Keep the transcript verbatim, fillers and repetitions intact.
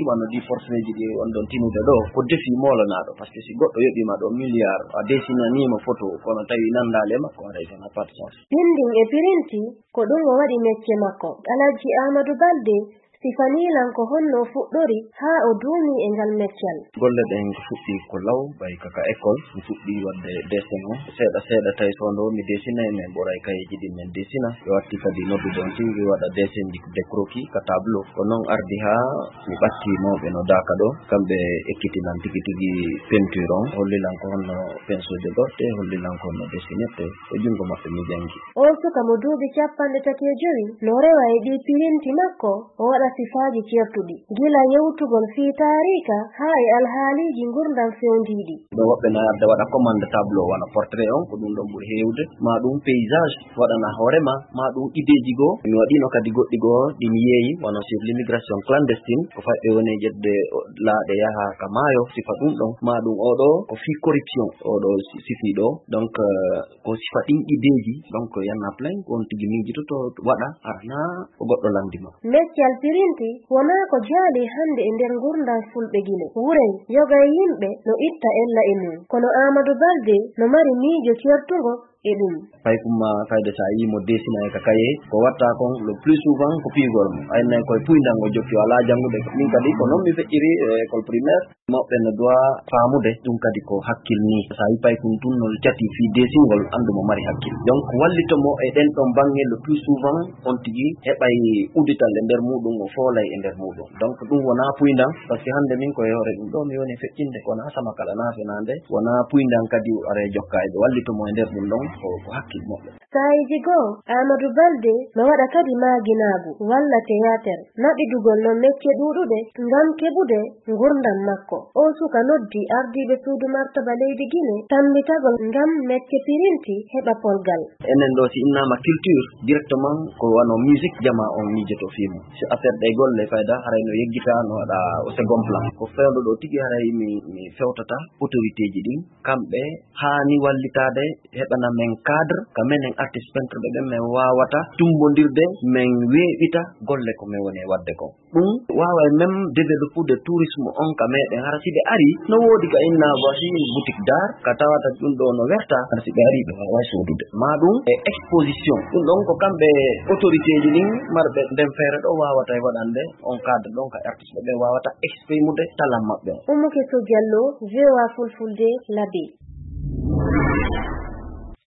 Wano ɗi forceeji ɗi on ɗon tinude ɗo, ko defi moolanaaɗo, parce que si goɗɗo yoɓiima ɗo milliard, a desinaniima photo, kono tawi nanndaali e makko, haray ça n'a pas de sens. Binding e pirinti, ko ɗum o waɗi mecce makko. Alhaji Amadou Balde sifanii lan ko honno o fuɗɗori haa o duumii e ngal meccal. Golle ɗen fuɗɗi ko law, ɓay kaka école, mi fuɗɗi waɗde dessin o. Seeɗa seeɗa tawi so wonde mi desinay, mais ɓuray kayeeji ɗin men desina. Ɓe watti kadi noddude on tigi waɗa dessin ji de croquis ka tableau. Ko non ardi haa mi ɓatti mawɓe no daaka ɗo, kamɓe ekkitii lan tigi tigi peinture on, holli lan ko honno pinceau jogorte, holli lan ko honno dessinirte, e junngo maɓɓe mi janngi. O suka mo duuɓi capanɗe tati e jowi no rewa e ɗii pirinti makko, o waɗa sifaaji ceertuɗi, gila yewtugol fii taariika haa e alhaaliiji ngurndan fewndiiɗi. Ɓe woɓɓe na arde waɗa commande tableau, wano portrait on, ko ɗum ɗon ɓuri heewde, maa ɗum paysage, waɗana hoore ma, maa ɗum ideeji goo. Mi waɗiino kadi goɗɗi goo ɗi mi yeeyi, wano sur l'immigration clandestine, ko fayɓe woni ƴetde laaɗe yaha ka maayo, sifa ɗum ɗon, maa ɗum oo ɗoo ko fii corruption, oo ɗoo si-, sifii ɗoo. Donc, euh, ko sifa ɗin ideeji, donc, y en a plein, ko on tigi miijitoto waɗa, arana ko goɗɗo lanndi ma. Meccal pirinti wonaa ko jaali hannde e nder ngurndan Fulɓe Gine. Wurey, yoga e yimɓe no itta ella e mum. Kono Amadou Balde no mari miijo ceertungo e ɗum. Paykum ma fayde so a yii mo desina e ka kaye, ko watta kon le plus souvent ko piigol mo. Aynay koye puyndan o jokki, o alaa janngude. Min kadi ko non mi feƴƴiri e école primaire. Mawɓe no doit faamude ɗum kadi ko hakkil nii. So a yii paykum tun no cati fii desingol, anndu mo mari hakkil. Donc wallito mo e ɗen ɗon baŋŋe le plus souvent, on tigi heɓay uddital e nder muɗum, o foolay e nder muɗum. Donc ɗum wonaa puyndan, parce que hannde min ko e hoore ɗum ɗo mi woni feƴƴinde, ko wonaa sama kala naa fenaande, wonaa puyndan kadi o ara e jokka e ɓe wallito mo e nder ɗum ɗon, ko, ko hakkil moƴƴo. Saa'iiji goo, Aamadu Balde no waɗa kadi maaginaagu walla teyaater, naɓidugol non mecce ɗuuɗuɗe ngam keɓude ngurndan makko. Oo suka noddi ardiiɓe suudu martaba leydi Gine tammbitagol ngam mecce pirinti heɓa polgal. Enen ɗo, si innaama culture, directement ko wano musique jamaa on miijoto fii mum. Si affaire ɗe golle fayda, haray no yeggita, no waɗa au second plan. Ko fewndo ɗo tigi, haray mi, mi fewtata autoritéji ɗin, kamɓe haani wallitaade, heɓana men cadre, ka menen artiste peintre ɓe ɓen, men waawata tummbondirde, men weeɓita golle ko men woni e waɗde kon. Ɗum waaway même développude tourisme on ka meɗen. Hara si ɓe ari, no woodi ka inna voici boutique d'art, ka tawata ɗum ɗo no werta, hara si ɓe ari, ɓe waaway soodude. Maa ɗum e exposition. Ɗum ɗon ko kamɓe autoritéji ɗin marɓe nden feere ɗo waawata e waɗande on cadre ɗon ka artiste ɓe waawata exprimude talan maɓɓe on. Umu Keso Jallo, V O A Fulfulde, Labe.